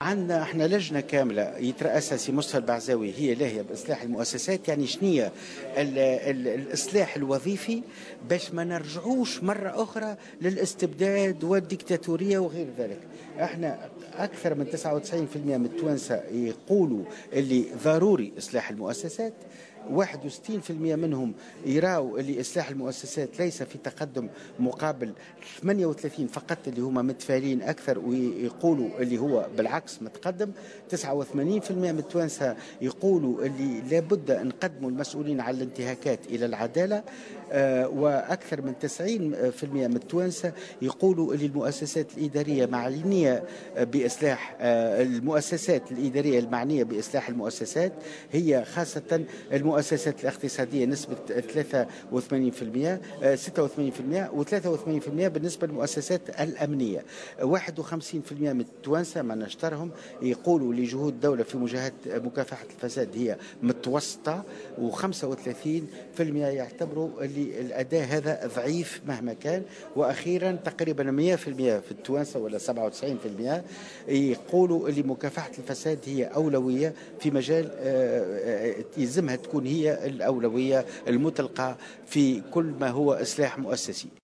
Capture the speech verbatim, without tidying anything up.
عندنا احنا لجنة كاملة يترأسها سي مصطفى البعزاوي، هي لاهية باصلاح المؤسسات. يعني شنية ال ال الاصلاح الوظيفي باش ما نرجعوش مرة اخرى للاستبداد والديكتاتوريه وغير ذلك. احنا اكثر من تسعة وتسعين بالمئة من التوانسة يقولوا اللي ضروري اصلاح المؤسسات، واحد وستين بالمئة منهم يراو اللي إصلاح المؤسسات ليس في تقدم، مقابل ثمانية وثلاثين فقط اللي هما متفائلين أكثر ويقولوا اللي هو بالعكس متقدم. تسعة وثمانين بالمئة من التوانسة يقولوا اللي لابد أن نقدموا المسؤولين على الانتهاكات إلى العدالة، آه، وأكثر من تسعين بالمئة من التوانسة يقولوا اللي المؤسسات الإدارية معنية بإصلاح، آه، المؤسسات الإدارية المعنية بإصلاح المؤسسات هي خاصة المؤسسات الاقتصادية نسبة ثلاثة وثمانين بالمئة، آه، ستة وثمانين بالمئة وثلاثة وثمانين بالمئة بالنسبة للمؤسسات الأمنية. واحد وخمسين بالمئة من التوانسة ما نشترهم يقولوا لجهود الدولة في مجاهدة مكافحة الفساد هي متوسطة، وخمسة وثلاثين بالمئة يعتبروا اللي الأداء هذا ضعيف مهما كان. وأخيرا تقريبا مئة بالمئة في التوانسة ولا سبعة وتسعين بالمئة يقولوا اللي مكافحة الفساد هي أولوية في مجال، آه، آه، يلزمها تكون هي الأولوية المطلقة في كل ما هو إصلاح مؤسسي.